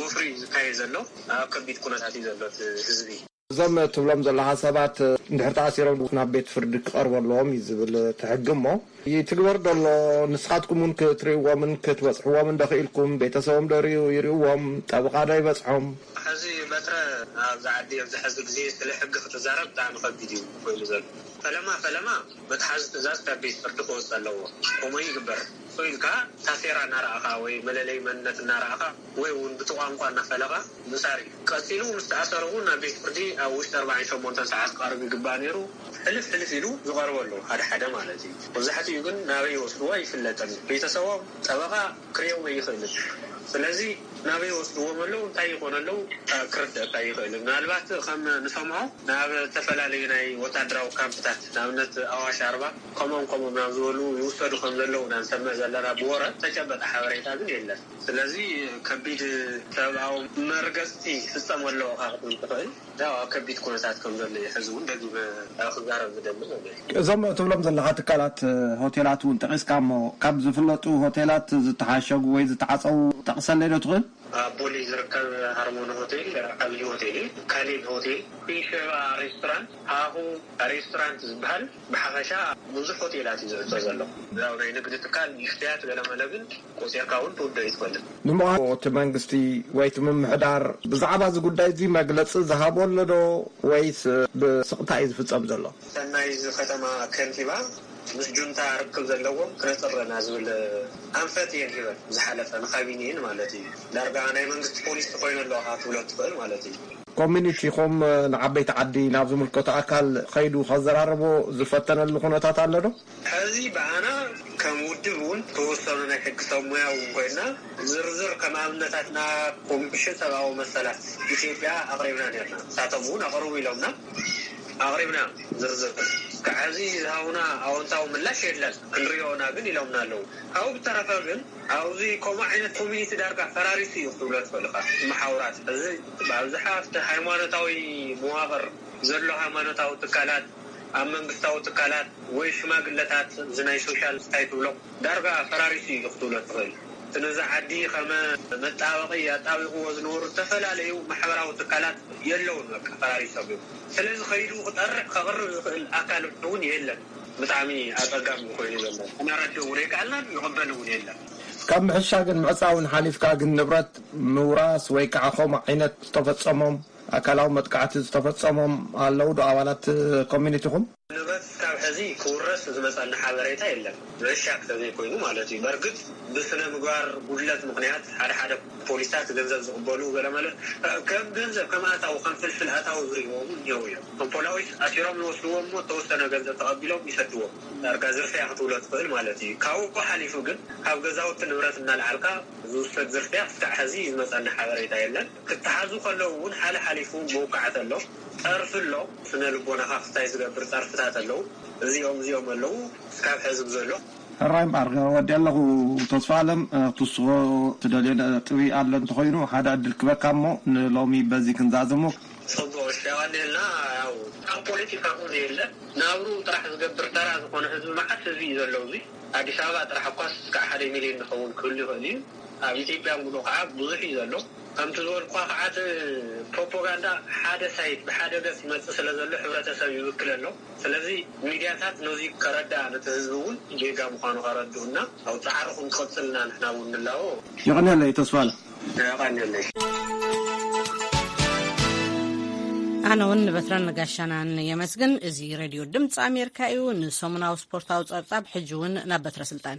ወፍሪ እዩ ዝካየድ ዘሎ። ኣብ ከቢድ ኩነታት እዩ ዘሎ እቲ ህዝቢ። እዞም ትብሎም ዘለኻ ሰባት እንድሕር ተኣሲሮም ናብ ቤት ፍርዲ ክቐርቡ ኣለዎም እዩ ዝብል እቲ ሕጊ እሞ ይትግበር ዶ ኣሎ? ንስኻትኩም እውን ክትርእይዎምን ክትበፅሕዎምን ዶ ክኢልኩም? ቤተሰቦም ዶ ርእዩ ይርእዎም? ጠብቓ ዶ ይበፅሖም? ሕዚ በትረ ኣብዚ ዓዲ ኣብዚ ሕዚ ግዜ ስለ ሕጊ ክትዛረብ ብጣዕሚ ከቢድ እዩ ኮይኑ ዘሎ። ፈለማ ፈለማ መትሓዚ ትእዛዝ ካብ ቤት ፍርዲ ክወፅእ ኣለዎ። ከምኡ ይግበር። እሱ ኢልካ ታሴራ እናረኣኻ ወይ መለለይ መንነት እናረኣኻ ወይ እውን ብቲ ቋንቋ እናፈለኻ ምሳር እዩ። ቀፂሉ ምስ ተኣሰረ እውን ናብ ቤት ፍርዲ ኣብ ውሽጢ ኣርባዓን ሸሞንተን ሰዓት ክቐርብ ይግባእ ነይሩ። ሕልፍ ሕልፍ ኢሉ ዝቐርበሉ ሓደ ሓደ ማለት እዩ። መብዛሕትኡ ግን ናበይ ይወስድዎ ኣይፍለጥን። ቤተሰቦም፣ ጠበቓ ክርእዮም ኣይኽእልን። ስለዚ ናበይ ወስድዎም ኣለዉ፣ እንታይ ይኾኑ ኣለዉ ክርደእካ ይኽእል። ምናልባት ከም ንሰምዖ ናብ ዝተፈላለዩ ናይ ወታደራዊ ካምፕታት፣ ንኣብነት ኣዋሽ ኣርባ፣ ከምኦም ከምኦም ናብ ዝበሉ ይውሰዱ ከም ዘለዉ ኢና ንሰምዕ ዘለና፣ ብወረ ተጨበጠ ሓበሬታ ግን የለን። ስለዚ ከቢድ ሰብኣዊ መርገፅቲ ይፍፀም ኣለዎ ኢኻ ክትብል ትኽእል። ያው ኣብ ከቢድ ኩነታት ከም ዘሎ እዩ ሕዚ እውን ደጊመ ክዛረብ ዝደሊ ማለት እዩ። እዞም ትብሎም ዘለኻ ትካላት፣ ሆቴላት እውን ጠቒስካ እሞ፣ ካብ ዝፍለጡ ሆቴላት ዝተሓሸጉ ወይ ዝተዓፀዉ ጠቕሰለይ ዶ ትኽእል? ኣብ ቦሌ ዝርከብ ሃርሞኒ ሆቴል ዓብዪ ሆቴል እዩ። ካሌብ ሆቴል፣ ኩንሸባ ሬስቶራንት፣ ሃሁ ሬስቶራንት ዝበሃል፣ ብሓፈሻ ብዙሕ ሆቴላት እዩ ዝዕጾ ዘሎ። ያው ናይ ንግዲ ትካል ንእሽተያት ገለመለ ግን ቆጺርካ እውን ትውደእ እዩ ትፈልጥ። ንምዃኑ እቲ መንግስቲ ወይ እቲ ምምሕዳር ብዛዕባ እዚ ጉዳይ እዚ መግለጺ ዝሃቦ ኣሎ ዶ ወይስ ብስቕታ እዩ ዝፍጸም ዘሎ? ሰናይ እዚ ከተማ ከንቲባ ምስ ጁንታ ርክብ ዘለዎም ክነጽር ኣለና ዝብል ኣንፈት እየን ሂበን፣ ዝሓለፈ ንካቢኔን ማለት እዩ። ዳርጋ ናይ መንግስቲ ፖሊሲ ኮይኑ ኣለዋ ክትብሎ ትኽእል ማለት እዩ። ኮሚኒቲኹም ንዓበይቲ ዓዲ ናብ ዝምልከቶ ኣካል ከይዱ ከዘራርቦ ዝፈተነሉ ኩነታት ኣሎ ዶ? ሕዚ ብኣና ከም ውድብ እውን ተወሰኑ ናይ ሕጊ ሰብ ሙያ እውን ኮይና ዝርዝር ከም ኣብነታትና ኮሚሽን ሰብኣዊ መሰላት ኢትዮጵያ ኣቕሪብና ነርና። ንሳቶም እውን ኣቕርቡ ኢሎምና፣ ኣቕሪብና ዝርዝር። ክሳዕ ሕዚ ዝሃቡና ኣወንታዊ ምላሽ የለን። ክንሪኦና ግን ኢሎምና ኣለዉ። ካብኡ ብተረፈ ግን ኣብዚ ከምኡ ዓይነት ኮሚኒቲ ዳርጋ ፈራሪሱ እዩ ክትብሎ ትኽእል ኢኻ። መሓውራት እዚ ብኣብዝሓ ኣብቲ ሃይማኖታዊ መዋቕር ዘሎ ሃይማኖታዊ ትካላት፣ ኣብ መንግስታዊ ትካላት ወይ ሽማግለታት እዚ ናይ ሶሻል እንታይ ትብሎ ዳርጋ ፈራሪሱ እዩ ክትብሎ ትኽእል። እቲ ነዚ ዓዲ ከመ መጣበቒ ኣጣቢቕዎ ዝነበሩ ዝተፈላለዩ ማሕበራዊ ትካላት የለውን፣ በቃ ፈራሪሶም እዮም። ስለዚ ከይዱ ክጠርዕ ከቕርብ ዝኽእል ኣካል እውን የለን። ብጣዕሚ ኣጸጋሚ ኮይኑ ዘሎ። ክነረድእ እውን ኣይከኣልናን፣ ንቕበል እውን የለን። ካብ ምሕሻግን ምዕጻውን ሓሊፍካ ግን ንብረት ምውራስ ወይ ከዓ ከምኡ ዓይነት ዝተፈጸሞም ኣካላዊ መጥቃዕቲ ዝተፈጸሞም ኣለዉ ዶ ኣባላት ኮሚኒቲኹም? ንብረት ካብ ሕዚ ክውረስ ዝመጻና ሓበሬታ የለን። ምዕሻግ ተዘይኮይኑ ማለት እዩ። በርግጥ ብስነ ምግባር ጉድለት ምኽንያት ሓደ ሓደ ፖሊሳት ገንዘብ ዝቕበሉ ገለመለ ከም ገንዘብ ከም ኣታዊ ከም ፍልፍል ኣታዊ ዝርእይዎ እውን እኒአው እዮም። ከም ፖላዊስ ኣሲሮም ዝወስድዎም እሞ ተወሰነ ገንዘብ ተቐቢሎም ይሰድዎም። ዳርጋ ዝርፍያ ክትብሎ ትኽእል ማለት እዩ። ካብኡ ሓሊፉ ግን ካብ ገዛውቲ ንብረት እናልዓልካ ዝውሰድ ዝርፍያ ክሳዕ ሕዚ ዝመጸና ሓበሬታ የለን። ክተሓዙ ከለዉ እውን ሓለ ሓሊፉ መውቃዕቲ ኣሎ፣ ጸርፊ ኣሎ፣ ስነ ልቦናኻ ክስታይ ዝገብር ጸርፍታት ኣለዉ። እዚኦም እዚኦም ኣለዉ እስካብ ሕዚ ብዘሎ። ሕራይ እምበኣር ወዲ ኣለኹ ተስፋ ኣለም፣ ክትስኾ ትደልዮ ነጥቢ ኣሎ እንተኾይኑ ሓደ ዕድል ክበካ እሞ ንሎሚ በዚ ክንዛዘሞ። ጽቡቕ፣ እሺ፣ ኣዋኒልና። ያው ኣብ ፖለቲካ እውን የለ፣ ናብሩ ጥራሕ ዝገብር ተራ ዝኾነ ህዝቢ መዓት ህዝቢ እዩ ዘሎ። እዚ ኣዲስ ኣበባ ጥራሕ እኳስ እስካዕ ሓደ ሚልዮን ዝኸውን ክህሉ ይኽእል እዩ። ኣብ ኢትዮጵያ ሙሉ ከዓ ብዙሕ እዩ ዘሎ። ከምቲ ዝበልኳ ከዓ እቲ ፕሮፓጋንዳ ሓደ ሳይት ብሓደ ገፅ ይመፅእ ስለ ዘሎ ሕብረተሰብ ይብክል ኣሎ። ስለዚ ሚድያታት ነዚ ከረድኣ ነቲ ህዝቢ እውን ጌጋ ምዃኑ ከረድኡና ኣብ ፃዕሪ ክንቀፅልና ንሕና እውን ንላቦ። የቐንየለይ ተስፋለ። የቐንየለይ። ኣነ እውን ንበትረን ንጋሻናን የመስግን። እዚ ሬድዮ ድምፂ ኣሜሪካ እዩ። ንሰሙናዊ ስፖርታዊ ፀብፃብ ሕጂ እውን ናብ በትረ ስልጣን።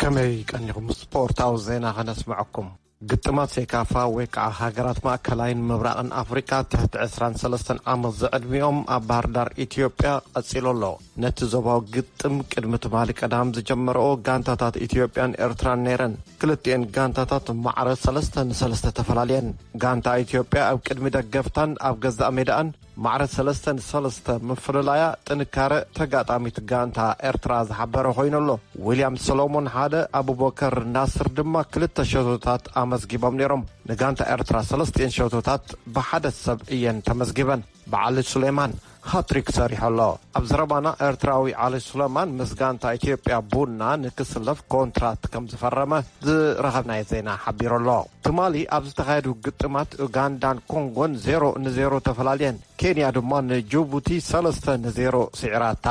ከመይ ቀኒኹም? ስፖርታዊ ዜና ከነስምዐኩም። ግጥማት ሴካፋ ወይ ከዓ ሃገራት ማእከላይን ምብራቕን ኣፍሪቃ ትሕቲ ዕስራን ሰለስተን ዓመት ዝዕድሚኦም ኣብ ባህር ዳር ኢትዮጵያ ቀጺሉ ኣሎ። ነቲ ዞባዊ ግጥም ቅድሚ ትማሊ ቀዳም ዝጀመረኦ ጋንታታት ኢትዮጵያን ኤርትራን ነይረን። ክልቲኤን ጋንታታት ማዕረ ሰለስተ ንሰለስተ ተፈላልየን። ጋንታ ኢትዮጵያ ኣብ ቅድሚ ደገፍታን ኣብ ገዛእ ሜዳኣን ማዕረ ሰለስተ ንሰለስተ ምፍልላያ ጥንካረ ተጋጣሚት ጋንታ ኤርትራ ዝሓበረ ኮይኑ ኣሎ። ዊልያም ሰሎሞን ሓደ፣ ኣቡበከር ናስር ድማ ክልተ ሸቶታት ኣመዝጊቦም ነይሮም። ንጋንታ ኤርትራ ሰለስቲኤን ሸቶታት ብሓደ ሰብ እየን ተመዝጊበን። ብዓሊ ሱሌማን ሃትሪክ ሰሪሑ ኣሎ። ኣብ ዘረባና ኤርትራዊ ዓሊ ሱሌማን ምስ ጋንታ ኢትዮጵያ ቡና ንክስለፍ ኮንትራት ከም ዝፈረመ ዝረኸብናዮ ዜና ሓቢሩ ኣሎ። ትማሊ ኣብ ዝተኻየዱ ግጥማት ኡጋንዳን ኮንጎን ዜሮ ንዜሮ ተፈላልየን። ኬንያ ድማ ንጅቡቲ ሰለስተ ንዜሮ ስዒራታ።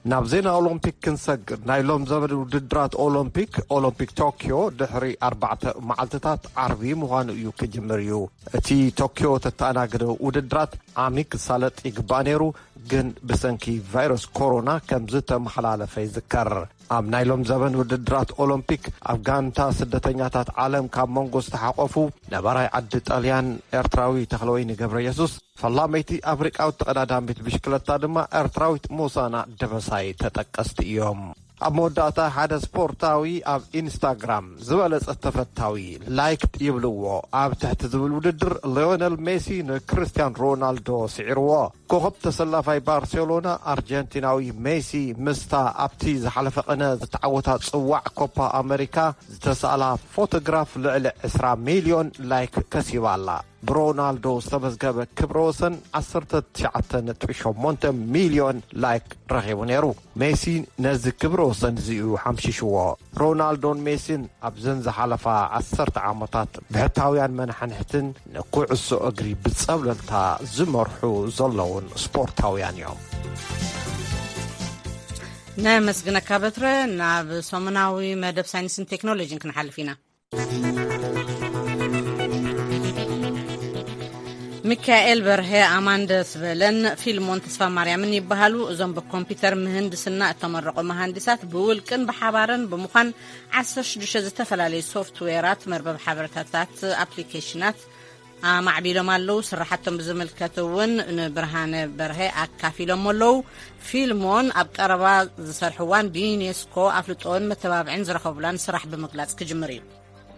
ናብ ዜና ኦሎምፒክ ክንሰግር፣ ናይ ሎም ዘበን ውድድራት ኦሎምፒክ፣ ኦሎምፒክ ቶኪዮ፣ ድሕሪ ኣርባዕተ መዓልትታት ዓርቢ ምዃኑ እዩ ክጅምር እዩ። እቲ ቶኪዮ ተተኣናገደ ውድድራት ዓሚ ክሳለጥ ይግባእ ነይሩ፣ ግን ብሰንኪ ቫይረስ ኮሮና ከም ዝተመሓላለፈ ይዝከር። ኣብ ናይ ሎም ዘበን ውድድራት ኦሎምፒክ፣ ኣብ ጋንታ ስደተኛታት ዓለም ካብ መንጎ ዝተሓቆፉ ነባራይ ዓዲ ጣልያን ኤርትራዊ ተኽለወይኒ ገብረ የሱስ፣ ፈላመይቲ ኣፍሪቃዊት ተቐዳዳሚት ብሽክለታ ድማ ኤርትራዊት ሞሳና ደበሳይ ተጠቀስቲ እዮም። ኣብ መወዳእታ፣ ሓደ ስፖርታዊ ኣብ ኢንስታግራም ዝበለጸ ተፈታዊ፣ ላይክ ይብልዎ፣ ኣብ ትሕቲ ዝብል ውድድር፣ ሊዮነል ሜሲ ንክርስቲያን ሮናልዶ ስዒርዎ። ኮኸብ ተሰላፋይ ባርሴሎና ኣርጀንቲናዊ ሜሲ፣ ምስታ ኣብቲ ዝሓለፈ ቅነ ዝተዓወታ ጽዋዕ ኮፓ ኣመሪካ ዝተሳእላ ፎቶግራፍ፣ ልዕሊ ዕስራ ሚልዮን ላይክ ከሲባ ኣላ። ብሮናልዶ ዝተመዝገበ ክብረ ወሰን ዓሰርተ ትሽዓተ ነጥቢ ሸሞንተ ሚልዮን ላይክ ረኺቡ ነይሩ። ሜሲ ነዚ ክብረ ወሰን እዚ እዩ ሓምሺሽዎ። ሮናልዶን ሜሲን ኣብዘን ዝሓለፋ ዓሰርተ ዓመታት ብሕታውያን መናሕንሕትን ንኩዕሶ እግሪ ብጸብለልታ ዝመርሑ ዘለውን ስፖርታውያን እዮም። ነመስግነካ በትረ። ናብ ሰሙናዊ መደብ ሳይንስን ቴክኖሎጂን ክንሓልፍ ኢና። ሚካኤል በርሀ፣ ኣማን ደስበለን ፊልሞን ተስፋማርያምን ይበሃሉ። እዞም ብኮምፒውተር ምህንድስና እተመረቑ መሃንዲሳት ብውልቅን ብሓባርን ብምዃን ዓሰርተ ሽዱሽተ ዝተፈላለዩ ሶፍትዌራት፣ መርበብ ሓበሬታታት፣ ኣፕሊኬሽናት ኣማዕቢሎም ኣለዉ። ስራሓቶም ብዝምልከት እውን ንብርሃነ በርሀ ኣካፊሎም ኣለዉ። ፊልሞን ኣብ ቀረባ ዝሰርሕዋን ብዩኔስኮ ኣፍልጦን መተባብዕን ዝረኸቡላን ስራሕ ብምግላጽ ክጅምር እዩ።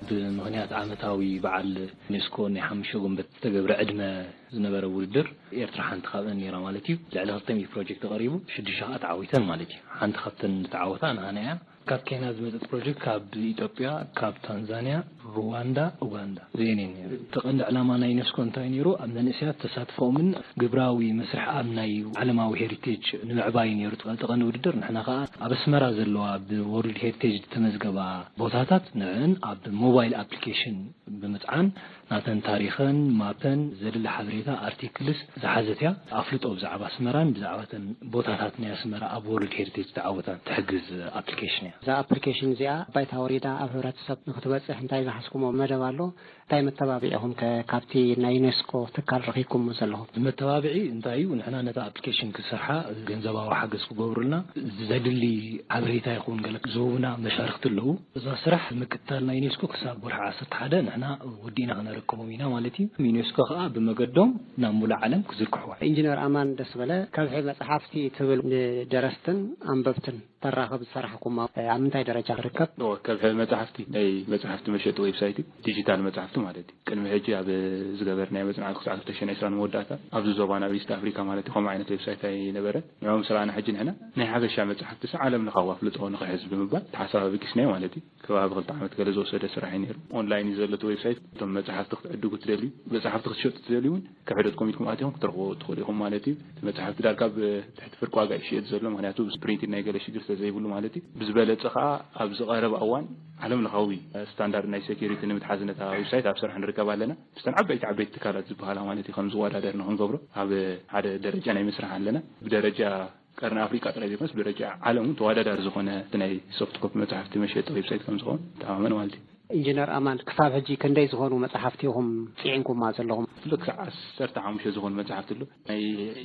ብምኽንያት ዓመታዊ በዓል ዩኔስኮ ናይ ሓሙሽተ ጉንበት ዝተገብረ ዕድመ ዝነበረ ውድድር፣ ኤርትራ ሓንቲ ካብአን ነይራ ማለት እዩ። ልዕሊ ክልተ ሚእቲ ፕሮጀክት ቀሪቡ፣ ሽዱሽተ ከዓ ተዓዊተን ማለት እዩ። ሓንቲ ካብተን ዝተዓወታ ንሃና እያ። ካብ ኬንያ ዝመፀት ፕሮጀክት ካብ ኢትዮጵያ፣ ካብ ታንዛንያ፣ ሩዋንዳ፣ ኡጋንዳ ዘየኔን ነይሩ። እቲ ቀንዲ ዕላማ ናይ ዩኔስኮ እንታይ ነይሩ? ኣብ መንእሰያት ተሳትፎኦምን ግብራዊ መስርሕ ኣብ ናይ ዓለማዊ ሄሪቴጅ ንምዕባይ ነይሩ እቲ ቀንዲ ውድድር። ንሕና ከዓ ኣብ ኣስመራ ዘለዋ ብወርልድ ሄሪቴጅ ዝተመዝገባ ቦታታት ንዕን ኣብ ሞባይል ኣፕሊኬሽን ብምፅዓን ናተን ታሪኸን፣ ማፐን፣ ዘድሊ ሓበሬታ፣ ኣርቲክልስ ዝሓዘት እያ። ኣፍልጦ ብዛዕባ ኣስመራን ብዛዕባ እተን ቦታታት ናይ ኣስመራ ኣብ ወርልድ ሄሪቴጅ ዝተዓወታ ትሕግዝ ኣፕሊኬሽን እያ። እዛ ኣፕሊኬሽን እዚኣ ባይታ ወሪዳ ኣብ ሕብረተሰብ ንክትበፅሕ እንታይ ዝሓዝኩሞ መደብ ኣሎ? እንታይ መተባብዒኹም ከ ካብቲ ናይ ዩኔስኮ ትካል ረኺብኩሞ ዘለኹም? መተባብዒ እንታይ እዩ? ንሕና ነታ ኣፕሊኬሽን ክሰርሓ ገንዘባዊ ሓገዝ ክገብሩልና ዘድሊ ሓበሬታ ይኹን ገለ ዝህቡና መሻርክቲ ኣለዉ። እዛ ስራሕ ምክትታል ናይ ዩኔስኮ ክሳብ ወርሒ ዓሰርተ ሓደ ንሕና ወዲእና ክነረክቦም ኢና ማለት እዩ። ዩኔስኮ ከዓ ብመገዶም ናብ ሙሉእ ዓለም ክዝርግሕዋ። ኢንጂነር ኣማን ደስበለ፣ ከብሒ መጽሓፍቲ ትብል ንደረስትን ኣንበብትን ተራኽብ ዝሰራሕኩማ ኣብ ምንታይ ደረጃ ትርከብ? እወ፣ ከብሒ መጽሓፍቲ ናይ መጽሓፍቲ መሸጢ ዌብሳይት እዩ። ዲጂታል መጽሓፍቲ ማለት እዩ። ቅድሚ ሕጂ ኣብ ዝገበርናዮ መጽናዕቲ ክሳብ ክልተ ሽሕን ዕስራን መወዳእታ ኣብዚ ዞባና ኣብ ኢስት ኣፍሪካ ማለት እዩ ከምኡ ዓይነት ዌብሳይት ኣይነበረን። ንዕኦም ስራሕና ሕጂ ንሕና ናይ ሓበሻ መጽሓፍቲ ስ ዓለም ለኻዊ ኣፍልጦ ንኽሕዝ ብምባል ተሓሳብ ኣበጊስናዮ ማለት እዩ። ከባቢ ክልተ ዓመት ገለ ዝወሰደ ስራሕ እዩ ነይሩ። ኦንላይን እዩ ዘሎ እቲ ዌብሳይት። እቶም መጽሓፍቲ ክትዕድጉ ትደልዩ፣ መጽሓፍቲ ክትሸጡ ትደልዩ እውን ከብሒ ዶት ኮም ኢልኩም ኣቲኹም ክትረኽቦ ትኽእሉ ኢኹም ማለት እዩ። እቲ መጽሓፍቲ ዳርጋ ብትሕቲ ፍርቂ ዋጋ እዩ ዝሽየጥ ዘሎ፣ ምኽንያቱ ፕሪንቲንግ ናይ ገለ ሽግር ስለ ዘይብሉ ማለት እዩ። ብዝበለጸ ኸኣ ኣብዚ ቀረባ እዋን ዓለም ለኻዊ ስታንዳርድ ናይ ሴኩሪቲ ንምትሓዝ ነታ ዌብሳይት ኣብ ስራሕ ንርከብ ኣለና። ምስተን ዓበይቲ ዓበይቲ ትካላት ዝበሃላ ማለት እዩ ከም ዝወዳደር ንኽንገብሮ ኣብ ሓደ ደረጃ ናይ ምስራሕ ኣለና። ብደረጃ ቀርኒ ኣፍሪቃ ጥራይ ዘይኮነስ ብደረጃ ዓለም እውን ተወዳዳሪ ዝኾነ እቲ ናይ ሶፍት ኮፒ መጽሓፍቲ መሸጢ ዌብሳይት ከም ዝኸውን ተኣማመን ማለት እዩ። ኢንጂነር ኣማን፣ ክሳብ ሕጂ ክንደይ ዝኾኑ መጽሓፍቲ ኢኹም ጽዒንኩማ ዘለኹም? ኣሎ ክሳዕ ዓሰርተ ሓሙሽተ ዝኾኑ መጽሓፍቲ ኣሎ፣ ናይ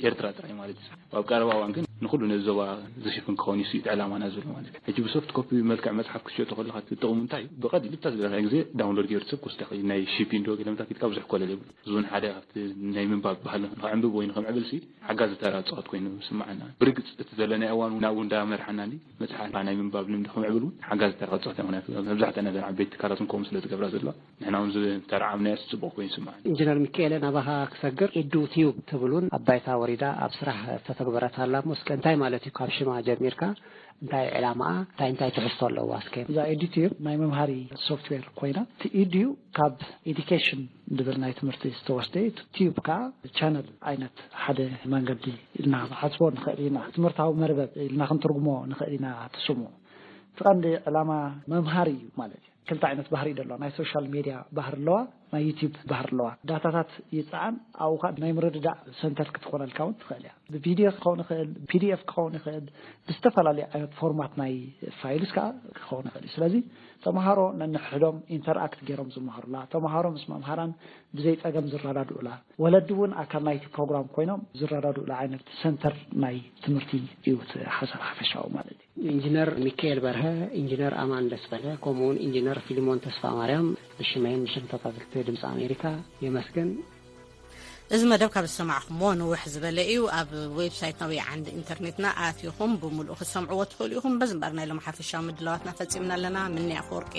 ኤርትራ ጥራይ ማለት እዩ። ኣብ ቀረባ እዋን ግን ንኹሉ ነዚ ዞባ ዝሽፍን ክኸውን እዩ እቲ ዕላማና ዘሎ ማለት እዩ። ሕጂ ብሶፍት ኮፒ መልክዕ መጽሓፍ ክትሸጦ ከለኻ እቲ ጥቕሙ እንታይ እዩ? ብቐሊሉ ብታ ዝደለኻዮ ግዜ ዳውንሎድ ገይሩ ሰብ ክወስዳ ይኽእል እዩ። ናይ ሺፒንግ ዶ ገለ ምታት ኢልካ ብዙሕ ኮለል የብሉ። እዚ እውን ሓደ ካብቲ ናይ ምንባብ ባህልና ንኸዕንብብ ወይ ንኸምዕብል ሲ ሓጋዚ ተራ ዝፃወት ኮይኑ ዝስምዓና። ብርግፅ እቲ ዘለናዮ እዋን እውን ናብኡ እንዳመርሓና እንዲ መፅሓፍ ናይ ምንባብ ልምዲ ከምዕብል እውን ሓጋዚ ተራ ክፃወት እያ። ምክንያቱ መብዛሕትአን እዘን ዓበይቲ ትካላት እውን ከምኡ ስለ ዝገብራ ዘለዋ ንሕና እውን ዝተረዓምናዮ ጽቡቕ ኮይኑ ይስምዓኒ። ኢንጂነር ሚካኤለ፣ ናባኻ ክሰግር፣ ኢዱ ቲዩብ ትብል እውን ኣብ ባይታ ወሪዳ ኣብ ስራሕ ዝተተግበረት ኣላ እሞ እስከ እንታይ ማለት እዩ ካብ ሽማ ጀሚርካ? እንታይ ዕላማኣ? እንታይ እንታይ ትሕዝቶ ኣለዋ እስከ? እዛ ኤዲቲዩብ ናይ መምሃሪ ሶፍትዌር ኮይና፣ እቲ ኢድዩ ካብ ኤዲኬሽን ዝብል ናይ ትምህርቲ ዝተወስደ እዩ። እቲ ቲዩብ ከዓ ቻነል ዓይነት ሓደ መንገዲ ኢልና ክንሓስቦ ንኽእል ኢና። ትምህርታዊ መርበብ ኢልና ክንትርጉሞ ንኽእል ኢና እቲ ስሙ። እቲ ቀንዲ ዕላማ መምሃሪ እዩ ማለት እዩ። ክልተ ዓይነት ባህሪ እዩ ዘለዋ። ናይ ሶሻል ሜድያ ባህሪ ኣለዋ፣ ናይ ዩቲዩብ ባህሪ ኣለዋ። ዳታታት ይፀዓን፣ ኣብኡ ከዓ ናይ ምርድዳእ ሰንተር ክትኾነልካ እውን ትኽእል እያ። ብቪዲዮ ክኸውን ይኽእል፣ ፒዲኤፍ ክኸውን ይኽእል፣ ብዝተፈላለዩ ዓይነት ፎርማት ናይ ፋይልስ ከዓ ክኸውን ይኽእል እዩ። ስለዚ ተምሃሮ ነንሕዶም ኢንተርኣክት ገይሮም ዝመሃሩላ፣ ተምሃሮ ምስ መምሃራን ብዘይ ፀገም ዝረዳድኡላ፣ ወለዲ እውን ኣካል ናይቲ ፕሮግራም ኮይኖም ዝረዳድኡላ ዓይነት ሰንተር ናይ ትምህርቲ እዩ እቲ ሓሳብ ሓፈሻዊ ማለት እዩ። ኢንጂነር ሚካኤል በርሀ፣ ኢንጂነር ኣማን ደስበለ፣ ከምኡውን ኢንጂነር ፊሊሞን ተስፋ ማርያም ብሽመይን ብሽም ተታተልቲ ድምፂ ኣሜሪካ የመስግን። እዚ መደብ ካብ ዝሰማዕኹምዎ ንውሕ ዝበለ እዩ። ኣብ ዌብሳይትና ወይ ዓንዲ ኢንተርኔትና ኣቲኹም ብምሉኡ ክትሰምዕዎ ትኽእሉ ኢኹም። በዚ እምበር ናይ ሎም ሓፈሻዊ ምድላዋትና ፈጺምና ኣለና። ምንያ ኣፈወርቂ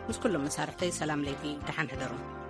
ምስ ኩሎም መሳርሕተይ ሰላም ለይቲ፣ ደሓን ሕደሩ።